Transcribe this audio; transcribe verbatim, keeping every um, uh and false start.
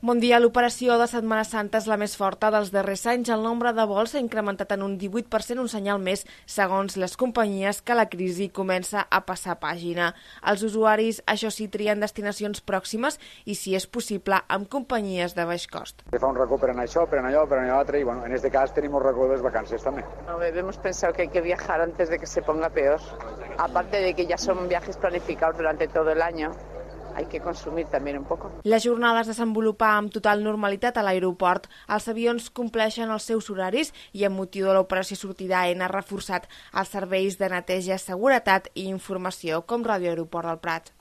Bon dia. L'operació de Setmana Santa és la més forta dels darrers anys. El nombre de vols s'ha incrementat en un divuit per cent, un senyal més, segons les companyies, que la crisi comença a passar pàgina. Els usuaris, això sí, trien destinacions pròximes i, si és possible, amb companyies de baix cost. Se fa un racó per anar això, per anar allò, per anar allò, y bueno, en este cas tenim un racó de les vacances també. No, hemos pensado que hay que viajar antes de que se ponga peor. Aparte de que ya son viajes planificados durante todo el año. Hay que consumir también un poco. La jornada es desenvolupa amb total normalitat a l'aeroport. Els avions compleixen els seus horaris i, amb motiu de l'operació sortida, Aena ha reforçat els serveis de neteja, seguretat i informació, com Ràdio Aeroport del Prat.